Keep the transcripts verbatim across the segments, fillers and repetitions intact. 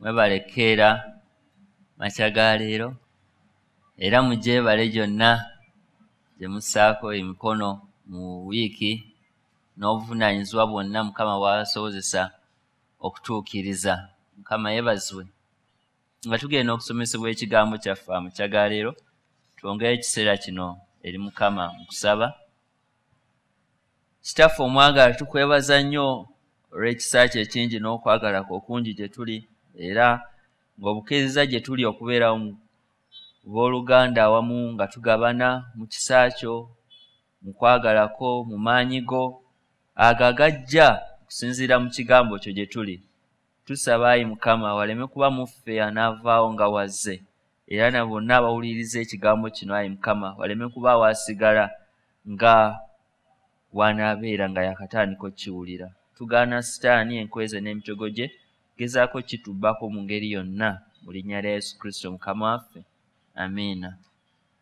Mwebale keera makya ga leero, era mugyebale gyonna gye mussaako emikono mu wiiki n'obuvunaanyizibwa bwonna Mukama bw'asobozesa okutuukiriza. Mukama yeebazibwe. Nga tugenda okusomesebwa ekigambo kyaffe amakya ga leero, twongere ekiseera kino eri Mukama mu kusaba. Kitaffe omwagala, tukwebaza nnyo olw'ekisa kyo ekingi n'okwagala kwo okungi gye tuli, era ng'obukkiriza gye tuli okubeera mu booluganda awamu nga tugabana mu kisa kyo, mu kwagala kwo, mu maanyi go ago agajja okusinziira mu kigambo kyo gye tuli. Tusaba ayi Mukama waleme kuba mu ffe anaavaawo nga wazze, era na bonna abawuliriza ekigambo kino ayi Mukama waleme kuba waasigala nga w'anaabeera nga yakatandika okkiwulira. Tugaana Sitaani enkweze n'emitego gye, gezaako kitubbako mu ngeri yonna, mu linnya lya Yesu Kristo Mukama waffe, amiina.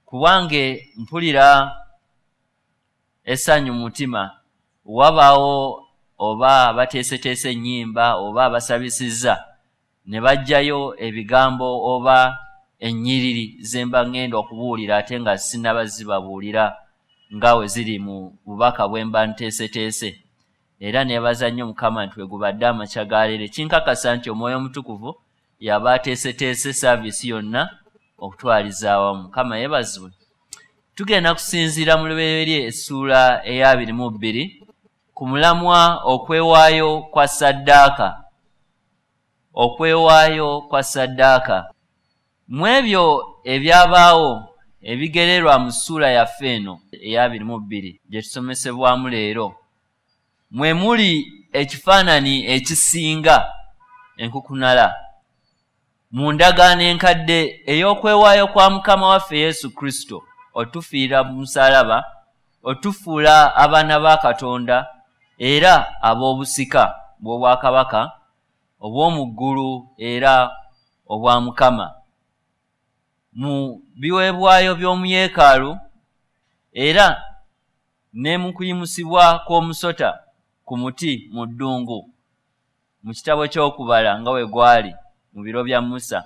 Kubwange mpulira essanyu mu mutima, wabaawo oba abateeseteese ennyimba oba abasabisizza ne baggyayo ebigambo oba ennyiriri ze mba ŋŋenda okubuulira ate nga sinnaba zibabuulira nga we ziri mu bubaka bwe mba nteeseteese. Era neebaza nnyo Mukama nti we gubadde amakya ga leero, ekinkakasa nti Omwoyo Omutukuvu y'aba ateeseteese saaviisi yonna okutwaliza awamu. Mukama yeebazibwe. Tugenda kusinziira mu Lubereberye essuula ey'abiri mu bbiri ku mulamwa okwewaayo kwa ssaddaaka. Okwewaayo kwa ssaddaaka. Mu ebyo ebyabaawo ebigererwa mu ssuula yaffe eno ey'abiri mu bbiri gye tusomesebwamu leero, mwe muli ekifaananyi ekisinga enkukunala mu ndagaano enkadde ey'okwewaayo kwa Mukama waffe Yesu Kristo otufiira mu musaalaba, otufuula abaana ba Katonda era ab'obusika bw'obwakabaka obw'omu ggulu era obwa Mukama. Mu biweebwayo by'omu yeekaalu era ne mu kuyimusibwa kw'omusota ku muti mu ddungu mu kitabo ky'okubala nga we gwali mu biro bya Musa,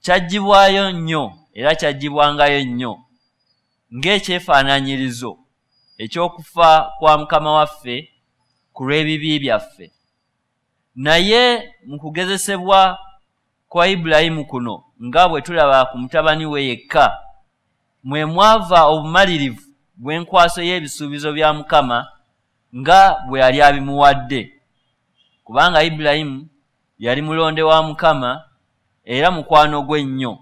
kyaggyibwayo nnyo era kyaggyibwangayo nnyo ng'ekyefaanaanyirizo eky'okufa kwa Mukama waffe ku lw'ebibi byaffe. Naye mu kugezesebwa kwa Ibulayimu kuno, nga bwe tulaba ku mutabani we yekka, mwe mwava obumalirivu bw'enkwaso y'ebisuubizo bya Mukama nga bwe yali abimuwadde. Kubanga Ibulayimu yali mulonde wa Mukama era mukwano gwe nnyo,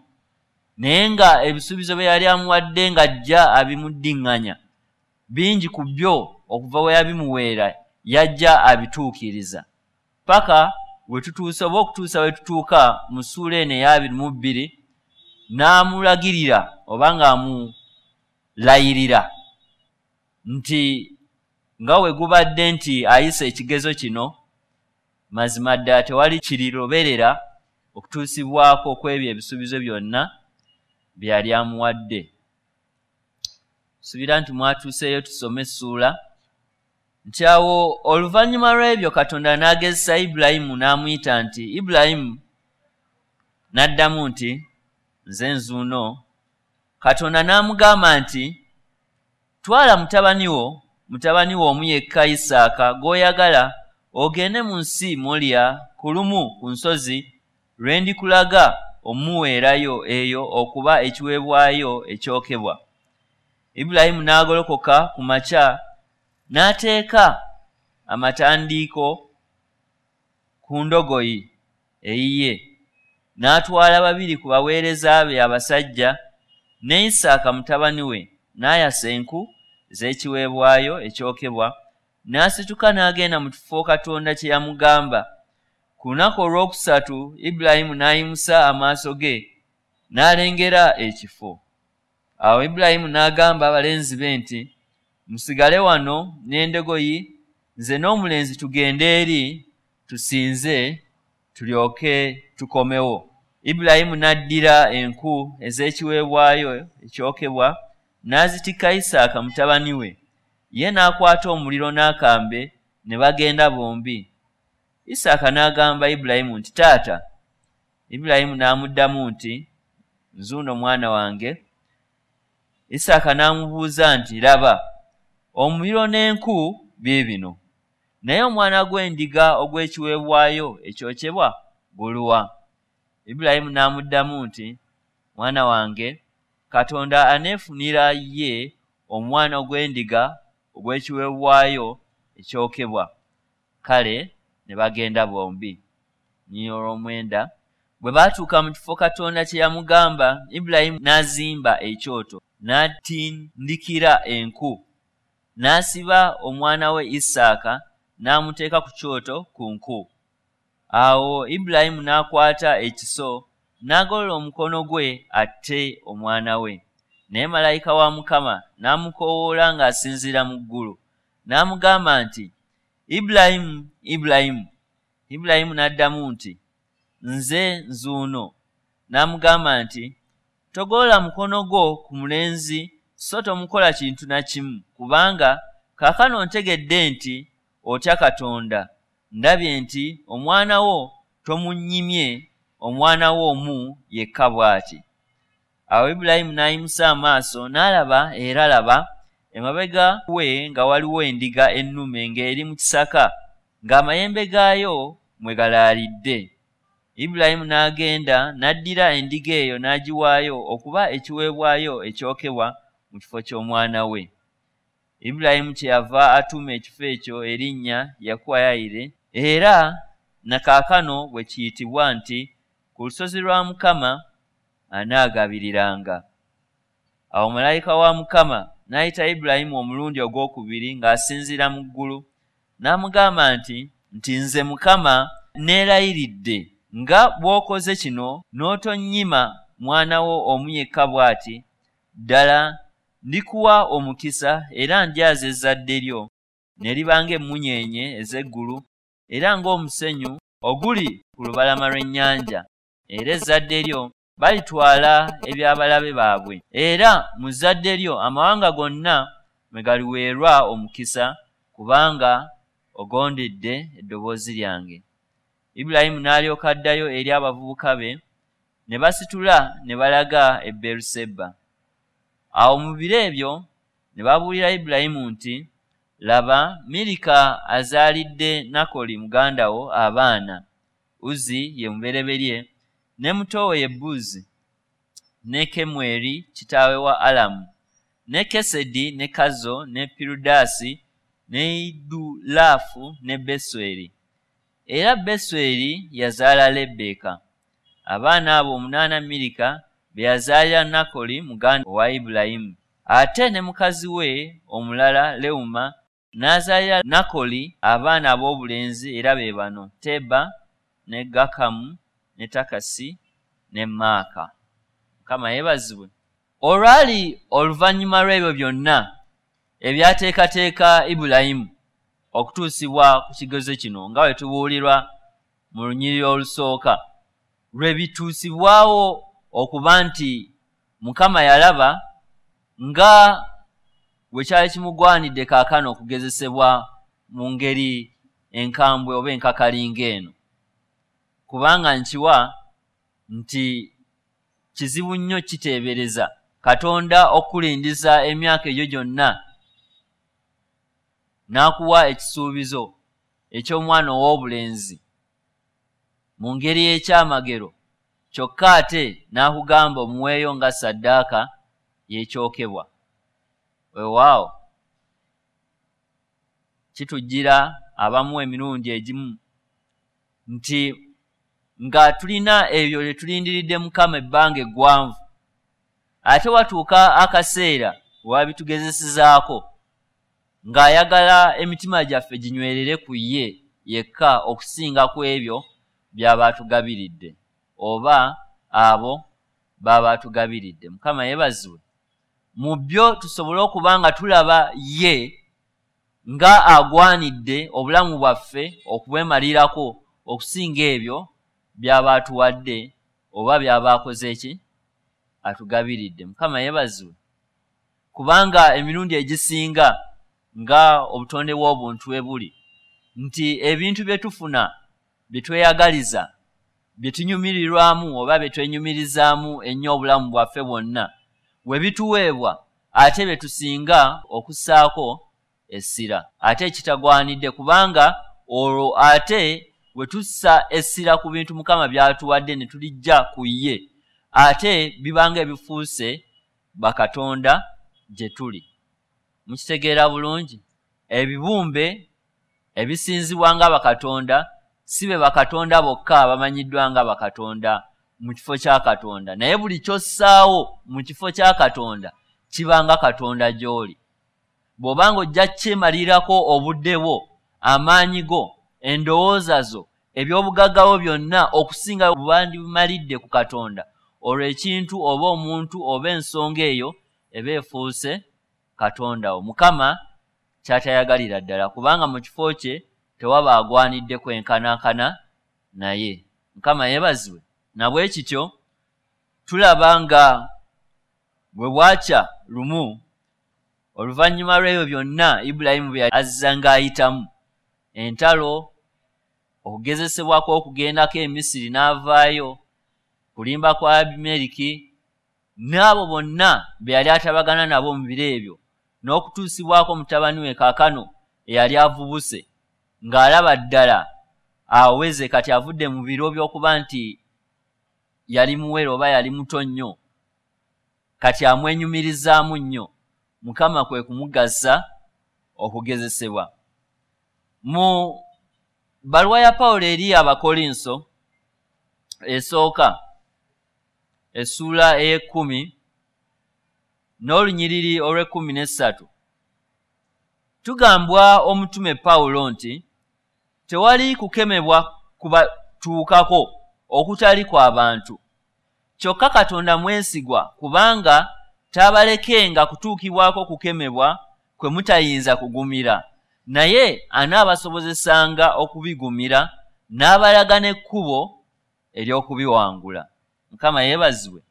naye nga ebisuubizo bye yali amuwadde ng'ajja abimuddiŋŋanya, bingi ku byo okuva we yabimuweera yajja abituukiriza, paka we tutuuse oba okutuusa we tutuuka mu ssuula eno ey'abiri mu bbiri, n'amulagirira oba ng'amulayirira nti nga we gubadde nti ayise ekigezo kino, mazima ddala tewali kiriroberera okutuusibwako kw'ebyo ebisuubizo byonna bye yali amuwadde. Suubira nti mwatuuseeyo tusome essuula. Nti awo oluvannyuma lw'ebyo Katonda n'agezesa Ibulayimu n'amuyita nti, Ibulayimu. N'addamu nti, nze nzuuno. Katonda n'amugamba nti, twala mutabani wo, mutabani wo omu yekka Isaaka gw'oyagala, ogende mu nsi Moliya ku lumu ku nsozi lwe ndikulaga omuweerayo eyo okuba ekiweebwayo ekyokebwa. Ibulayimu n'agolokoka ku makya n'ateeka amatandiiko ku ndogoyi eyiye, n'atwala babiri ku baweereza be abasajja ne Isaaka mutabani we, n'ayasa enku ez'ekiweebwayo ekyokebwa, n'asituka n'agenda mu kifo Katonda kye yamugamba. Ku lunaku olwokusatu Ibulayimu n'ayimusa amaaso ge n'alengera ekifo. Awo Ibulayimu n'agamba abalenzi be nti, musigale wano n'endogoyi, nze n'omulenzi tugende eri tusinze tulyoke tukomewo. Ibulayimu n'addira enku ez'ekiweebwayo ekyokebwa n'azitikka Isaaka mutabani we, ye n'akwata omuliro n'akambe ne bagenda bombi. Isaaka n'agamba Ibulayimu nti, taata. Ibulayimu n'amuddamu nti, "Nzuuno mwana wange." Isaaka n'amubuuza nti, "Laba, omuliro n'enku biibino, naye omwana gw'endiga ogw'ekiweebwayo ekyokyebwa guluwa?" Ibulayimu n'amuddamu nti, "Mwana wange, Katonda aneefunira ye omwana gw'endiga ogw'ekiweebwayo ekyokebwa." Kale ne bagenda bombi. Olwomwenda, bwe baatuuka mu kifo Katonda kye yamugamba, Ibulayimu n'azimba ekyoto, n'atindikira enku, n'asiba omwana we Isaaka n'amuteeka ku kyoto ku nku. Awo Ibulayimu n'akwata ekiso n'agolola omukono gwe atte omwana we. Naye malayika wa Mukama n'amukoowoola ng'asinziira mu ggulu, n'amugamba nti, "Ibulayimu, Ibulayimu." Ibulayimu n'addamu nti, "Nze nzuuno." N'amugamba nti, "Togolola mukono gwo ku mulenzi, so tomukola kintu na kimu, kubanga kaakano ntegedde nti otya Katonda. Ndabye nti omwana wo tomunnyimye, omwana wo omu yekka bw'ati." Awo Ibulayimu n'ayimusa amaaso n'alaba, era laba, emabega we nga waliwo endiga ennume ng'eri mu kisaka, ng'amayembe gaayo mwe galaalidde. Ibulayimu n'agenda n'addira endiga eyo n'agiwaayo okuba ekiweebwayo ekyokebwa mu kifo ky'omwana we. Ibulayimu kyeyava atuuma ekifo ekyo erinnya Yakuwa Yayire, era na kaakano bwe kiyitibwa nti, "Ku lusozi lwa Mukama anaagabiriranga." Awo malayika wa Mukama n'ayita Ibulayimu omulundi ogwokubiri ng'asinziira mu ggulu, n'amugamba nti, nti nze Mukama neerayiridde nga bw'okoze kino n'otonnyima mwana wo omu yekka bw'ati, ddala ndikuwa omukisa era ndyaza ezzadde lyo ne liba ng'emmunyeenye ez'eggulu era ng'omusenyu oguli ku lubalama lw'ennyanja, era ezzadde lyo balitwala eby'abalabe baabwe, era mu zzadde lyo amawanga gonna mwe galiweerwa omukisa, kubanga ogondedde eddoboozi lyange. Ibulayimu n'alyoka addayo eri abavubuka be, ne basitula ne balaga e Beeruseba. Awo mu biro ebyo ne babuulira Ibulayimu nti, "Laba, Mirika azaalidde Nakoli muganda wo abaana. Uzi ye mubereberye, ne muto we ye Buzi, ne Kemweri kitaawe wa Alamu, ne Kesedi ne Kazo ne Pirudaasi ne Idulaafu ne Besweri. Era Besweri yazaala Lebbeeka." Abaana abo omunaana Mirika be yazaalira Nakoli muganda wa Ibulayimu. Ate ne mukazi we omulala Lewuma n'azaalira Nakoli abaana ab'obulenzi, era be bano: Teba ne Gakamu ne Takasi ne Maaka. Mukama yeebazibwe. Olwali oluvannyuma lw'ebyo byonna ebyateekateeka Ibulayimu okutuusibwa ku kigezo kino, nga bwe tubuulirwa mu lunyiriri olusooka, lwe bituusibwawo okuba nti Mukama yalaba nga bwe kyali kimugwanidde kaakano okugezesebwa mu ngeri enkambwe oba enkakalinga eno. Kubanga nkiwa nti kizibu nnyo kiteebereza Katonda okulindiza emyaka egyo gyonna n'akuwa ekisuubizo eky'omwana ow'obulenzi mu ngeri y'ekyamagero, kyokka ate n'akugamba omuweeyo nga ssaddaaka y'ekyokebwa. Weewaawo kitujjira abamu emirundi egimu nti nga tulina ebyo bye tulindiridde Mukama ebbanga eggwanvu, ate watuuka akaseera wabitugezesezaako ng'ayagala emitima gyaffe ginywerere ku ye yekka okusinga ku ebyo by'aba atugabiridde oba abo b'aba atugabiridde. Mukama yeebazibwe. Mu byo tusobole okuba nga tulaba ye nga agwanidde obulamu bwaffe okubwemalirako okusinga ebyo by'aba atuwadde oba by'aba akoze ki atugabiridde. Mukama yeebazibwe. Kubanga emirundi egisinga nga obutonde bw'obuntu bwe buli nti ebintu bye tufuna bye tweyagaliza bye tunyumirirwamu oba bye twenyumirizaamu ennyo obulamu bwaffe bwonna we bituweebwa, ate bye tusinga okussaako essira, ate ekitagwanidde, kubanga olwo ate we tussa essira ku bintu Mukama by'atuwadde ne tulijja ku ye, ate bibanga ebifuuse bakatonda gye tuli. Mukitegeera bulungi? Ebibumbe ebisinzibwa nga bakatonda si be bakatonda bokka abamanyiddwa nga bakatonda mu kifo kya Katonda, naye buli ky'ossaawo mu kifo kya Katonda kibanga Katonda gy'oli. Bw'obanga ojja kyemalirako obudde bwo, amaanyi go, endowooza zo, eby'obugagga bwo byonna okusinga bwandimalidde ku Katonda, olwo ekintu oba omuntu oba ensonga eyo eba efuuse Katonda wo. Mukama ky'atayagalira ddala, kubanga mu kifo kye tewaba agwanidde kwenkanankana naye. Mukama yeebazibwe. Na bwe kityo tulaba nga bwe bwakya lumu oluvannyuma lw'ebyo byonna Ibulayimu bye azza ng'ayitamu, entalo, okugezesebwa kw'okugendako e Misiri n'avaayo, kulimba kwa Abimeriki n'abo bonna be yali atabagana nabo mu biro ebyo, n'okutuusibwako mutabani we kaakano eyali avubuse ng'alaba ddala aweze kati avudde mu biro by'okuba nti yali muwere oba yali muto nnyo, kati amwenyumirizaamu nnyo. Mukama kwe kumugasa okugezesebwa. Mu bbaluwa ya Pawulo eri Abakolinso esooka essuula ey'ekkumi n'olunyiriri olw'ekkumi n'essatu tugambwa omutume Pawulo nti tewali kukemebwa kubatuukako okutali kw'abantu, kyokka Katonda mwesigwa, kubanga taabalekenga kutuukibwako kukemebwa kwe mutayinza kugumira, naye anaabasobozesanga okubigumira n'abalaga n'ekkubo ery'okubiwangula. Mukama yeebazibwe.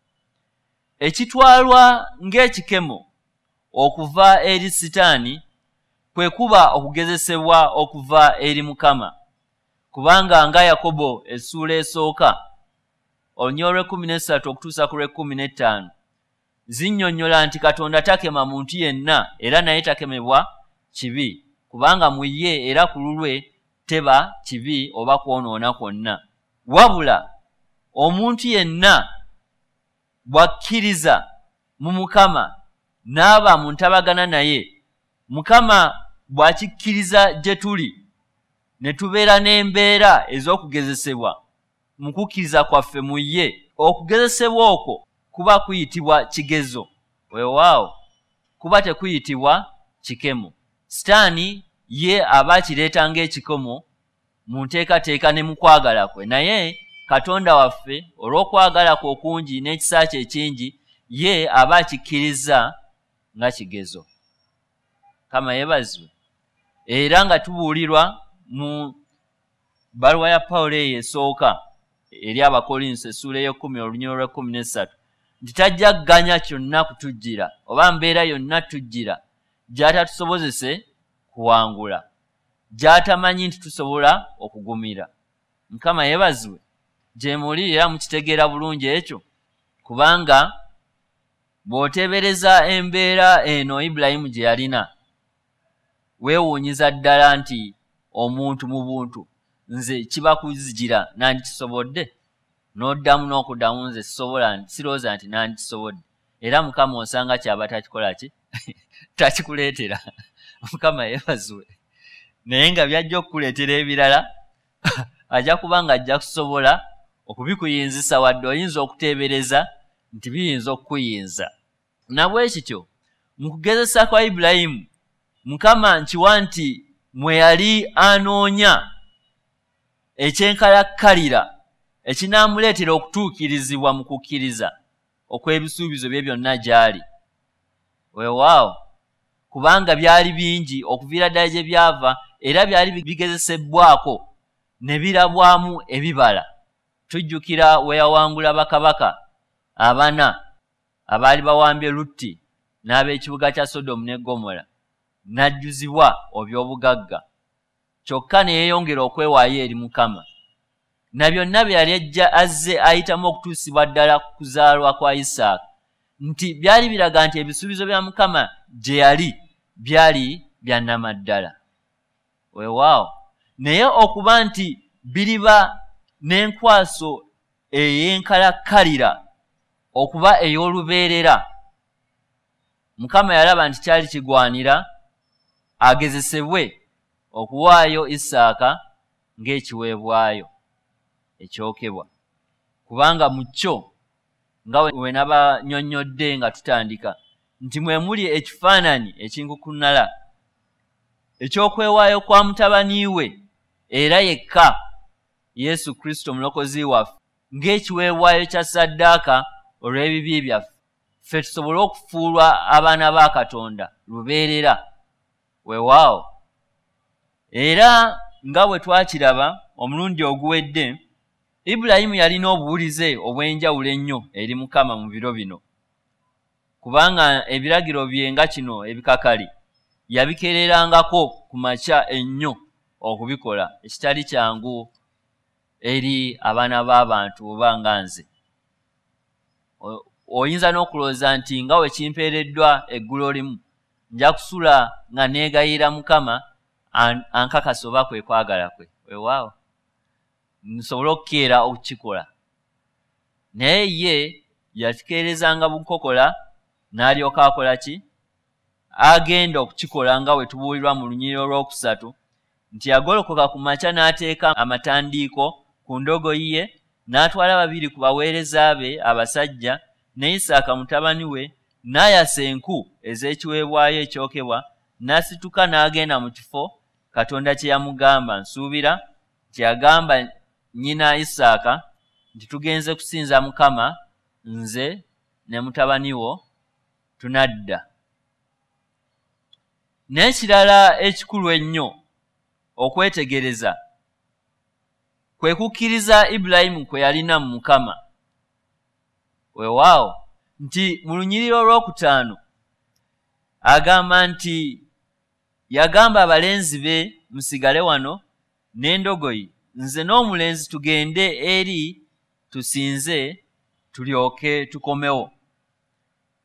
Ekitwalwa ng'ekikemo okuva eri Sitaani kwe kuba okugezesebwa okuva eri Mukama, kubanga nga Yakobo essuula esooka olunyiriri olw'ekkumi n'essatu okutuusa ku lw'ekkumi n'ettaano zinnyonnyola nti Katonda takema muntu yenna, era naye takemebwa kibi, kubanga mu ye era ku lulwe teba kibi oba kwonoona kwonna. Wabula omuntu yenna bw'akkiriza mu Mukama n'aba mu ntabagana naye, Mukama bw'akikkiriza gye tuli ne tubeera n'embeera ez'okugezesebwa mu kukkiriza kwaffe mu ye, okugezesebwa okwo kuba kuyitibwa kigezo, weewaawo kuba tekuyitibwa kikemo. Sitaani ye aba akireeta ng'ekikomo mu nteekateeka ne mu kwagala kwe, naye Katonda waffe olw'okwagala kwe okungi n'ekisa kye ekingi ye aba akikkiriza nga kigezo. Mukama yeebazibwe. Era nga tubuulirwa mu bbaluwa ya Pawulo eyo esooka eri Abakolinso essuula ey'ekkumi olunyiriri olw'ekkumi n'essatu nti tajja kuganya kyonna kutujjira oba mbeera yonna tujjira gy'atatusobozese kuwangula, gy'atamanyi nti tusobola okugumira. Mukama yeebazibwe. Gye muli era mukitegeera bulungi ekyo, kubanga bw'oteebereza embeera eno Ibulayimu gye yalina, weewuunyiza ddala nti omuntu mu buntu nze kiba kuzijira nandikisobodde, n'oddamu n'okuddamu nze sisobola, sirowooza nti nandikisobodde. Era Mukama osanga kyaba takikola ki takikuleetera. Mukama yeebazibwe. Naye nga byajja okukuleetera ebirala ajja kuba nga ajja kusobola okubikuyinzisa, wadde oyinza okuteebereza nti biyinza okukuyinza. Na bwe kityo mu kugezesa kwa Ibulayimu, Mukama nkiwa nti mwe yali anoonya ekyenkalakkalira ekinaamuleetera okutuukirizibwa mu kukkiriza okw'ebisuubizo bye byonna gy'ali. Weewaawo, kubanga byali bingi okuviira ddala gye byava, era byali bigezesebbwako ne birabwamu ebibala. Tujjukira we yawangula bakabaka abana abaali bawambye Lutti n'ab'ekibuga kya Sodomu ne Ggomola, n'ajjuzibwa oby'obugagga, kyokka ne yeeyongera okwewaayo eri Mukama. Na byonna bye yali ajja azze ayitamu okutuusibwa ddala ku kuzaalwa kwa Isaaka, nti byali biraga nti ebisuubizo bya Mukama gye yali byali bya nnamaddala. Weewaawo, naye okuba nti biriba n'enkwaso ey'enkalakkalira okuba ey'olubeerera, Mukama yalaba nti kyali kigwanira agezesebwe okuwaayo Isaaka ng'ekiweebwayo ekyokebwa, kubanga mu kyo, nga we nabanyonnyodde nga tutandika, nti mwe muli ekifaananyi ekinkukunala eky'okwewaayo kwa mutabani we era yekka Yesu Kristo Omulokozi waffe ng'ekiweebwayo kya ssaddaaka olw'ebibi byaffe, ffe tusobole okufuulwa abaana ba Katonda lubeerera. Weewaawo, era nga bwe twakiraba omulundi oguwedde, Ibulayimu yalina obuwulize obw'enjawulo ennyo eri Mukama mu biro bino, kubanga ebiragiro bye nga kino ebikakali yabikererangako ku makya ennyo okubikola, ekitali kyangu eri abaana b'abantu oba nga nze. Oyinza n'okulowooza nti nga we kimpeereddwa eggulo limu nja kusula nga neegayirira Mukama ankakasa oba kwe kwagala kwe. Weewaawo, nsobole okukeera okukikola. Naye ye yakikeerezanga bukokola n'alyoka akola ki? Agenda okukikola nga we tubuulirwa mu lunyiriri olwokusatu nti yagolokoka ku makya n'ateeka amatandiiko ku ndogoyi ye, n'atwala babiri ku baweereza be abasajja ne Isaaka mutabani we, n'ayasa enku ez'ekiweebwayo ekyokebwa, n'asituka n'agenda mu kifo Katonda kye yamugamba. Nsuubira nti yagamba nnyina Isaaka nti tugenze kusinza Mukama, nze ne mutabani wo tunadda. N'ekirala ekikulu ennyo okwetegereza kwe kukkiriza Ibulayimu kwe yalina mu Mukama. Weewaawo, nti mu lunyiriri olwokutaano agamba nti yagamba abalenzi be, musigale wano n'endogoyi, nze n'omulenzi tugende eri tusinze tulyoke tukomewo.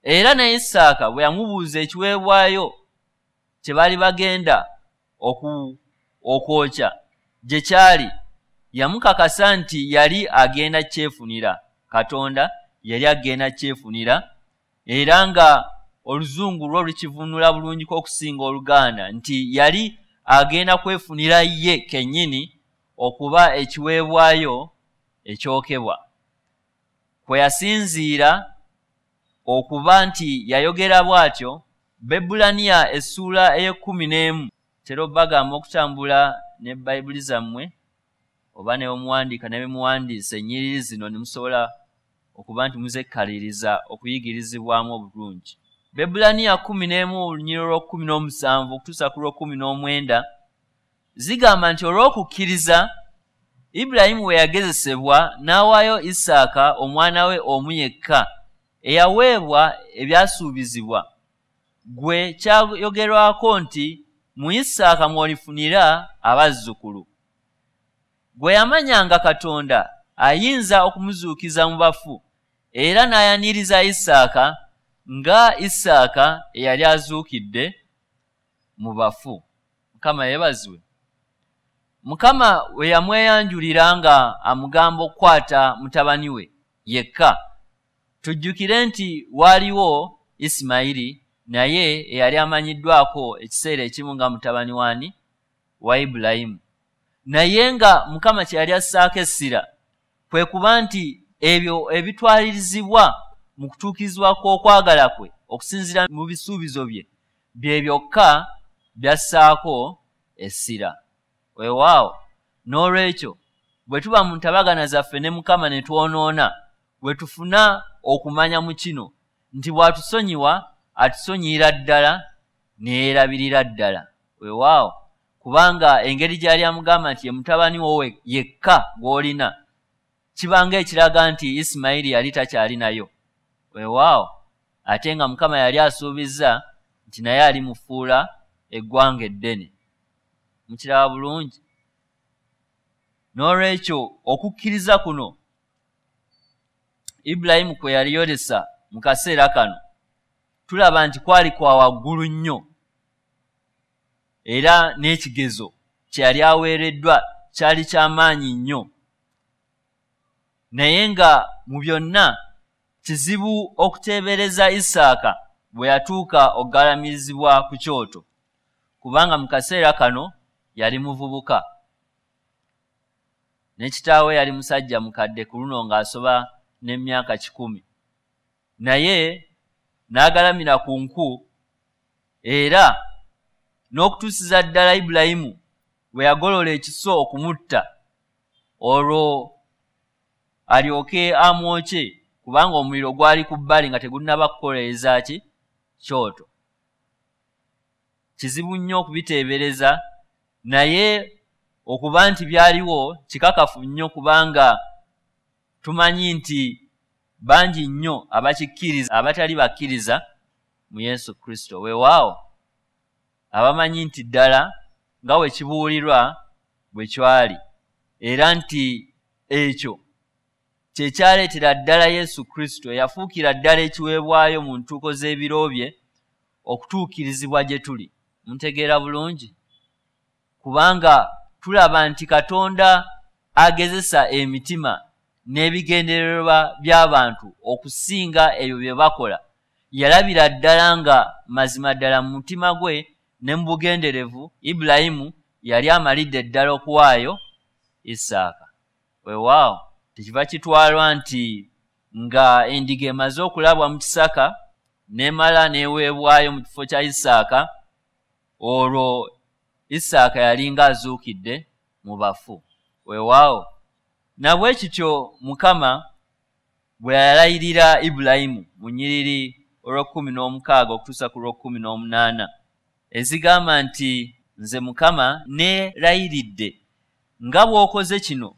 Era ne Isaaka bwe yamubuuza ekiweebwayo kye baali bagenda okwokya gye kyali, yamukakasa nti yali agenda kyefunira. Katonda yali agenda kyefunira, era nga oluzungu lwo lukivunula bulungiko okusinga Oluganda, nti yali agenda kwefunira ye kennyini okuba ekiweebwayo ekyokebwa. Kwe yasinziira okuba nti yayogera bw'atyo, Baebbulaniya essuula ey'ekkumi n'emu, tera obbagamba okutambula ne Bayibuli zammwe oba ne muwandiika ne muwandiisa ennyiriri zino ne musobola okuba nti muzekkaliriza okuyigirizibwamu obulungi. Baebbulaniya kkumi n'emu olunyiriri olw'okkumi n'omusanvu okutuusa ku lw'okkumi n'omwenda zigamba nti olw'okukkiriza Ibulayimu we yagezesebwa n'awaayo Isaaka omwana we omu yekka eyaweebwa ebyasuubizibwa, gwe kyayogerwako nti mu Isaaka mw'olifunira abazzukulu. Gwe yamanyanga Katonda ayinza okumuzuukiza mu bafu, era n'ayaniriza Isaaka nga Isaaka eyali azuukidde mu bafu. Mukama yeebazibwe. Mukama we yamweyanjulira nga amugamba okukwata mutabani we yekka. Tujjukire nti waaliwo Isimayiri naye eyali amanyiddwako ekiseera ekimu nga mutabani wani wa Ibulayimu, naye nga Mukama kye yali assaako essira kwe kuba nti ebyo ebitwalirizibwa mu kutuukirizibwa kw'okwagala kwe okusinziira mu bisuubizo bye bye byokka byassaako essira. Weewaawo, n'olwekyo bwe tuba mu ntabagana zaffe ne Mukama ne twonoona, bwe tufuna okumanya mu kino nti bw'atusonyiwa atusonyiyira ddala ne yeerabirira ddala. Weewaawo, kubanga engeri gy'ali amugamba nti ye mutabani wo yekka gw'olina, kibanga ekiraga nti Isimayiri yali takyalinayo. Weewaawo, ate nga Mukama yali asuubizza nti naye alimufuula eggwanga eddene. Mukiraba bulungi. N'olwekyo okukkiriza kuno Ibulayimu kwe yali yolesa mu kaseera kano tulaba nti kwali kwa waggulu nnyo, era n'ekigezo kye yali aweereddwa kyali kyamaanyi nnyo. Naye nga mu byonna kizibu okuteebereza Isaaka bwe yatuuka okugalamirizibwa ku kyoto, kubanga mu kaseera kano yali muvubuka ne kitaawe yali musajja mukadde ku luno ng'asoba n'emyaka kikumi, naye n'agalamira ku nku era n'okutuusiza ddala Ibulayimu bwe yagolola ekiso okumutta olwo alyoke amwokye, kubanga omuliro gwali ku bbali nga tegunnaba kukoleeza ki kyoto. Kizibu nnyo okubiteebereza, naye okuba nti byaliwo kikakafu nnyo, kubanga tumanyi nti bangi nnyo abakikkiriza abatali bakkiriza mu Yesu Kristo. Weewaawo abamanyi nti ddala nga bwe kibuulirwa bwe kyali, era nti ekyo kye kyaleetera ddala Yesu Kristo eyafuukira ddala ekiweebwayo mu ntuuko z'ebiro bye okutuukirizibwa gye tuli. Muntegeera bulungi? Kubanga tulaba nti Katonda agezesa emitima n'ebigendererwa by'abantu okusinga ebyo bye bakola. Yalabira ddala nga mazima ddala mu mutima gwe ne mu bugenderevu Ibulayimu yali amalidde ddala okuwaayo Isaaka. Weewaawo tekiva kitwalwa nti nga endiga emaze okulabwa mu kisaka n'emala n'eweebwayo mu kifo kya Isaaka, olwo Isaaka yalinga azuukidde mu bafu. Weewaawo na bwe kityo Mukama bwe yalayirira Ibulayimu mu nnyiriri olw'ekkumi n'omukaaga okutuusa ku lw'ekkumi n'omunaana ezigamba nti nze Mukama neerayiridde nga bw'okoze kino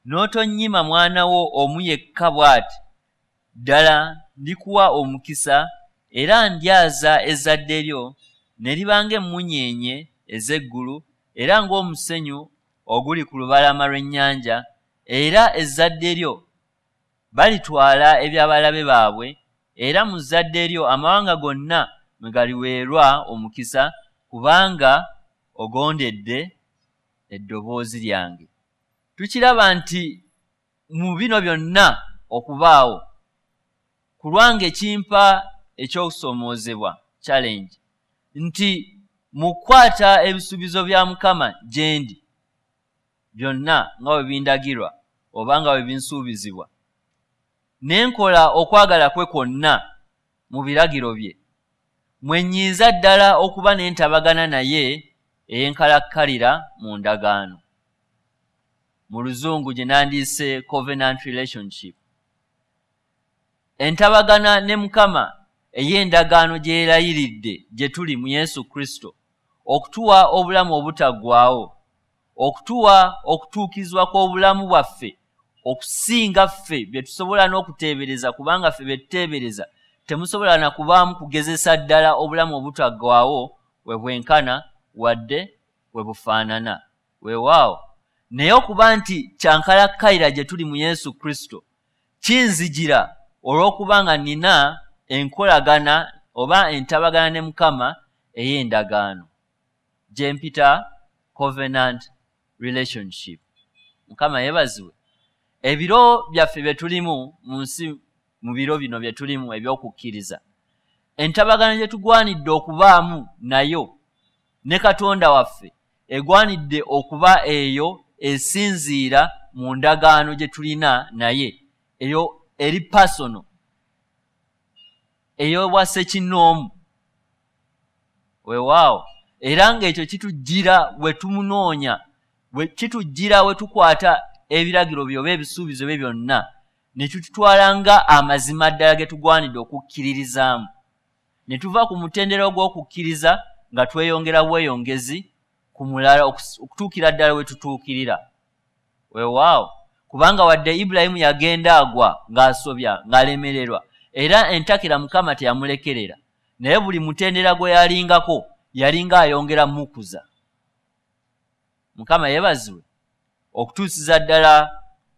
n'otonnyima mwana wo omu yekka bw'ati, ddala ndikuwa omukisa era ndyaza ezzadde lyo ne liba ng'emmunyeenye ez'eggulu era ng'omusenyu oguli ku lubalama lw'ennyanja, era ezzadde lyo balitwala eby'abalabe baabwe, era mu zzadde lyo amawanga gonna mwe galiweerwa omukisa, kubanga ogondedde eddoboozi lyange. Tukiraba nti mu bino byonna okubaawo ku lwange kimpa eky'okusoomoozebwa challenge nti mu kukwata ebisuubizo bya Mukama gye ndi byonna nga bwe bindagirwa oba nga bwe binsuubizibwa, ne nkola okwagala kwe kwonna mu biragiro bye, mwe nnyinza ddala okuba n'entabagana naye ey'enkalakkalira mu ndagaano, mu luzungu gye nandiise covenant relationship. Entabagana ne Mukama ey'endagaano gye yerayiridde gye tuli mu Yesu Kristo okutuwa obulamu obutaggwaawo, okutuwa okutuukizibwa kw'obulamu bwaffe okusinga ffe bye tusobola n'okuteebereza, kubanga ffe bye tuteebereza temusobola na kubaamu kugezesa ddala obulamu obutaggwaawo we bwenkana wadde we bufaanana. Weewaawo naye okuba nti kyankalakkalira gye tuli mu Yesu Kristo kinzijira olw'okuba nga nnina enkolagana oba entabagana ne Mukama ey'endagaano gye mpita covenant relationship. Mukama yeebazibwe. Ebiro byaffe bye tulimu mu nsi, mu biro bino bye tulimu eby'okukkiriza, entabagana gye tugwanidde okubaamu nayo ne Katonda waffe egwanidde okuba eyo esinziira mu ndagaano gye tulina naye, eyo eri personal, ey'obwa ssekinnoomu. Weewaawo era ng'ekyo kitujjira bwe tumunoonya, bwe kitujjira we tukwata ebiragiro bye oba ebisuubizo bye byonna ne tututwala nga amazima ddala ge tugwanidde okukkiririzaamu, ne tuva ku mutendera ogw'okukkiriza nga tweyongera bweyongezi ku mulala okutuukira ddala we tutuukirira. Weewaawo kubanga wadde Ibulayimu yagenda agwa ng'asobya ng'alemererwa, era entakera Mukama teyamulekerera, naye buli mutendera gwe yalingako yalinga ayongera mukuza. Mukama yeebazibwe. okutuusiza ddala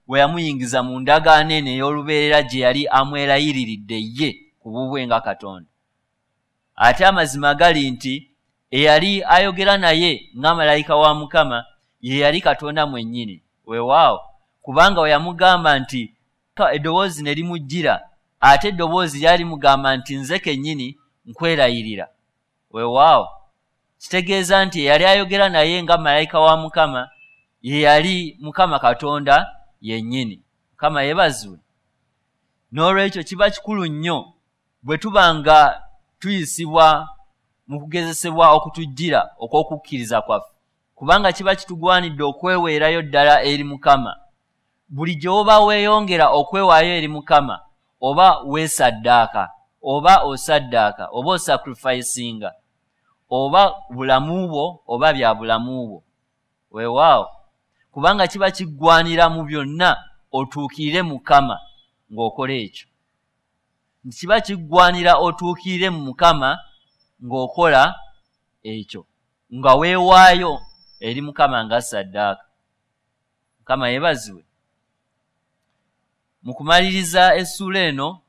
we yamuyingiza mu ndagaano eno ey'olubeerera gye yali amwerayiriridde ye ku bubwe nga Katonda. Ate amazima gali nti eyali ayogera naye nga malayika wa Mukama ye yali Katonda mwennyini. Weewaawo, kubanga we yamugamba nti eddoboozi ne limujjira, ate eddoboozi lyali mugamba nti nze kennyini nkwerayirira. Weewaawo, kitegeeza nti eyali ayogera naye nga malayika wa Mukama ye yali Mukama Katonda yennyini. Mukama yeebazibwe. N'olwekyo kiba kikulu nnyo bwe tuba nga tuyisibwa mu kugezesebwa okutujjira okw'okukkiriza kwaffe, kubanga kiba kitugwanidde okweweerayo ddala eri Mukama. Buli gy'oba weeyongera okwewaayo eri Mukama, oba weesaddaaka, oba osaddaaka, oba osacrificinga, oba bulamu bwo oba bya bulamu bwo. Weewaawo, kubanga kiba kiggwanira mu byonna otuukirire Mukama ng'okola ekyo. Nti kiba kiggwanira otuukirire mu Mukama ng'okola ekyo, nga weewaayo eri Mukama nga saddaaka. Mukama yeebazibwe. Mu kumaliriza essuula eno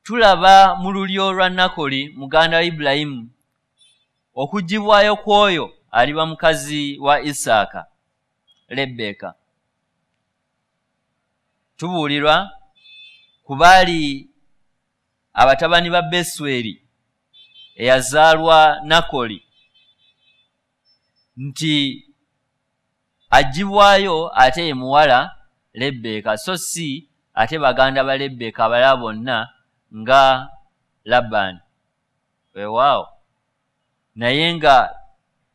tulaba mu lulyo lwa Nakoli muganda wa Ibulayimu okuggyibwayo kw'oyo aliba mukazi wa Isaaka, Lebbeeka. Tubuulirwa ku baali abatabani ba Besweri eyazaalwa Nakoli nti aggyibwayo ate ye muwala Lebbeeka, so si ate baganda ba Lebbeeka abalala bonna nga Labbaani. Weewaawo, naye nga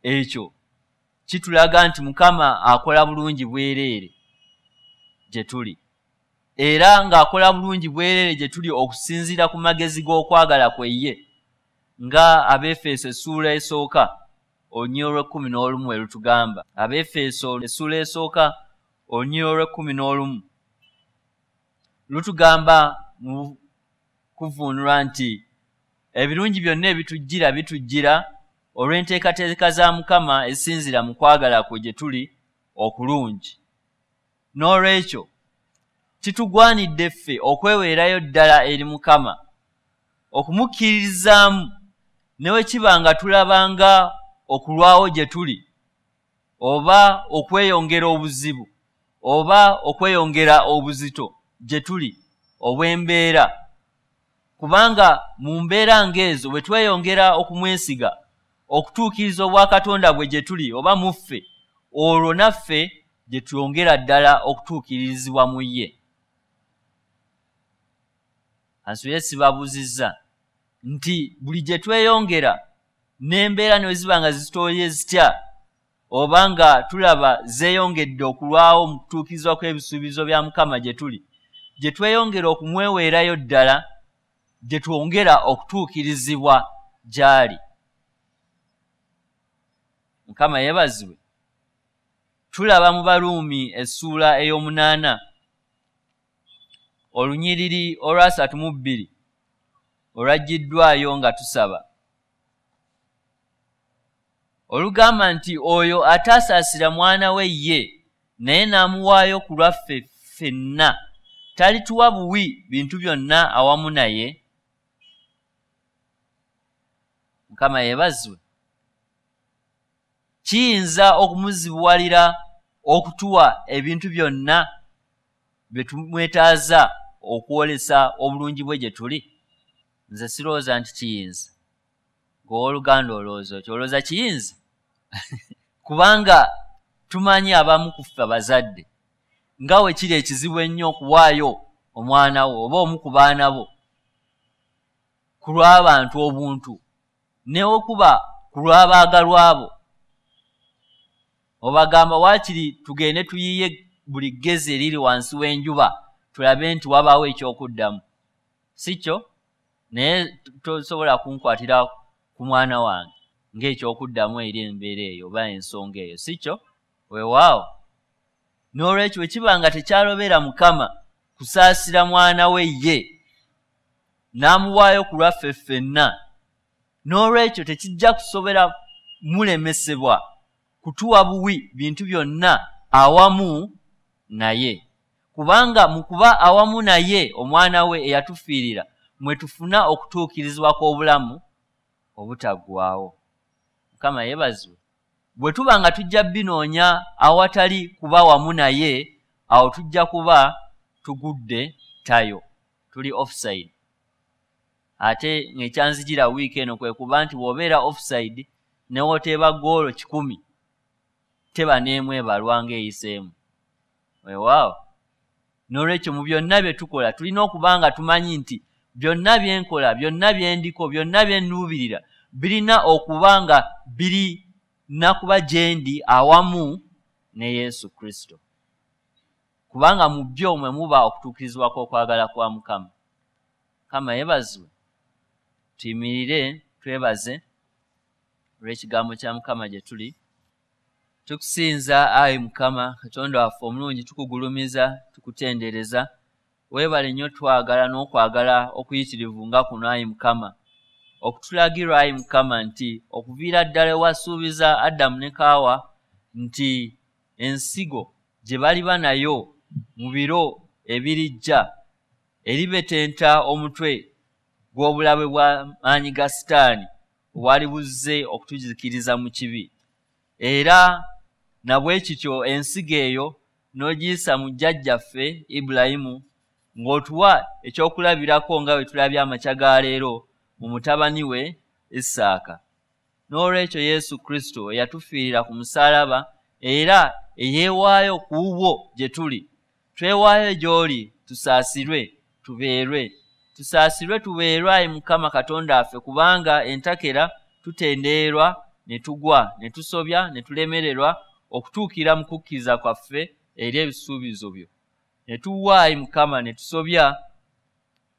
ekyo kitulaga nti Mukama akola bulungi bwereere gye tuli, era ng'akola bulungi bwereere gye tuli okusinziira ku magezi g'okwagala kwe ye, nga Abeefeso essuula esooka olunyiriri olw'ekkumi n'olumu erutugamba. Abeefeso essuula esooka olunyiriri olw'ekkumi n'olumu lutugamba mu kuvuunulwa nti ebirungi byonna ebitujjira bitujjira olw'enteekateeka za Mukama ezisinziira mu kwagala kwe gye tuli okulungi. N'olwekyo kitugwanidde ffe okweweerayo ddala eri Mukama, okumukkiririzaamu ne bwe kiba nga tulabanga okulwawo gye tuli, oba okweyongera obuzibu, oba okweyongera obuzito gye tuli obw'embeera. Kubanga mu mbeera ng'ezo bwe tweyongera okumwesiga okutuukiriza obwakatonda bwe gye tuli oba mu ffe, olwo naffe gye twongera ddala okutuukirizibwa mu ye. Ansuye sibabuuzizza nti buli gye tweyongera n'embeera ne ziba nga zitooye zitya, oba nga tulaba zeeyongedde okulwawo mu kutuukirizibwa kw'ebisuubizo bya Mukama gye tuli, gye tweyongera okumweweerayo ddala, gye twongera okutuukirizibwa gy'ali. Mukama yeebazibwe. Tulaba mu Baruumi essuula ey'omunaana olunyiriri olwasatu mu bbiri olwaggiddwayo nga tusaba, olugamba nti oyo ataasaasira mwana we ye naye n'amuwaayo ku lwaffe ffenna, talituwa buwi bintu byonna awamu naye? Mukama yeebazibwe. Kiyinza okumuzibuwalira okutuwa ebintu byonna bye tumwetaaza okwolesa obulungi bwe gye tuli? Nze sirowooza nti kiyinza. Ng'owooluganda olowooza otyo? Olowooza kiyinza? Kubanga tumanyi abamu ku ffe abazadde nga we kiri ekizibu ennyo okuwaayo omwana wo oba omu ku baana bo ku lw'abantu obuntu, ne okuba ku lw'abaagalwa bo. Obagamba waakiri tugende tuyiye buli ggezi eriri wansi w'enjuba tulabe nti wabaawo ekyokuddamu, si kyo? Naye tosobola kunkwatira ku mwana wange ng'ekyokuddamu eri embeera eyo oba ensonga eyo, si kyo? Weewaawo. N'olwekyo bwe kiba nga tekyalobera Mukama kusaasira mwana we ye n'amuwaayo ku lwaffe ffenna, n'olwekyo tekijja kusobera mulemesebwa kutuwa buwi bintu byonna awamu naye, kubanga mu kuba awamu naye omwana we eyatufiirira mwe tufuna okutuukirizibwa kw'obulamu obutaggwaawo. Mukama yeebazibwe. Bwe tuba nga tujja binoonya awatali kuba wamu naye, awo tujja kuba tugudde tayo, tuli offside. Ate ng'ekyanzijira wiiki eno kwe kuba nti bw'obeera offside ne wooteeba ggoolo kikumi teba n'emu ebalwa ng'eyiseemu. Weewaawo. N'olwekyo mu byonna bye tukola tulina okuba nga tumanyi nti byonna bye nkola, byonna bye ndiko, byonna bye nnuubirira birina okuba nga birina kuba gye ndi awamu ne Yesu Kristo, kubanga mu byo mwe muba okutuukirizibwa kw'okwagala kwa Mukama. Mukama yeebazibwe. Tuyimirire twebaze olw'ekigambo kya Mukama gye tuli. Tukusinza ayi Mukama Katonda waffe omulungi, tukugulumiza, tukutendereza. Weebale nnyo twagala n'okwagala okuyitirivu nga kuno ayi Mukama, okutulagirwa ayi Mukama nti okuviira ddala ewasuubiza Adamu ne Kaawa nti ensigo gye baliba nayo mu biro ebirijja eribetenta omutwe gw'obulabe bwa maanyi ga Sitaani obwali buzze okutuzikiriza mu kibi. Era na bwe kityo ensigo eyo n'ogiyisa mu jjajjaffe Ibulayimu, ng'otuwa ekyokulabirako nga bwe tulabye amakya ga leero mu mutabani we Isaaka. N'olwekyo Yesu Kristo eyatufiirira ku musaalaba era eyeewaayo ku bubwo gye tuli, twewaayo gy'oli tusaasirwe tubeerwe, tusaasirwe tubeerwe ayi Mukama Katonda waffe, kubanga entakera tutendeerwa ne tugwa ne tusobya ne tulemererwa okutuukira mu kukkiriza kwaffe eri ebisuubizo byo. Ne tuwa ayi Mukama ne tusobya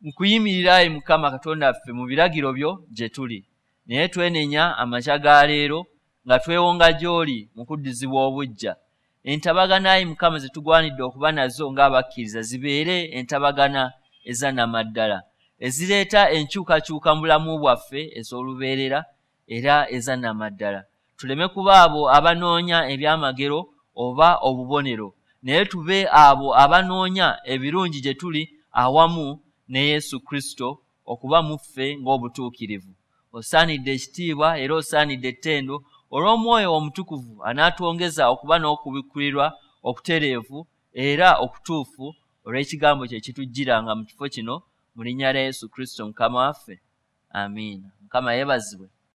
mu kuyimirira ayi Mukama Katonda waffe mu biragiro byo gye tuli. Naye twenenya amakya ga leero nga twewonga gy'oli mu kuddizibwa obuggya. Entabagana ayi Mukama ze tugwanidde okuba nazo ng'abakkiriza zibeere entabagana ezannamaddala, ezireeta enkyukakyuka mu bulamu bwaffe ez'olubeerera era ezannamaddala. Tuleme kuba abo abanoonya ebyamagero oba obubonero, naye tube abo abanoonya ebirungi gye tuli awamu ne Yesu Kristo okuba mu ffe ng'obutuukirivu. Osaanidde ekitiibwa era osaanidde ettendo olw'Omwoyo Omutukuvu anaatwongeza okuba n'okubikkulirwa okutereevu era okutuufu olw'ekigambo kye kitujjiranga mu kifo kino, mu linnya lya Yesu Kristo Mukama waffe. Amiina. Mukama yeebazibwe.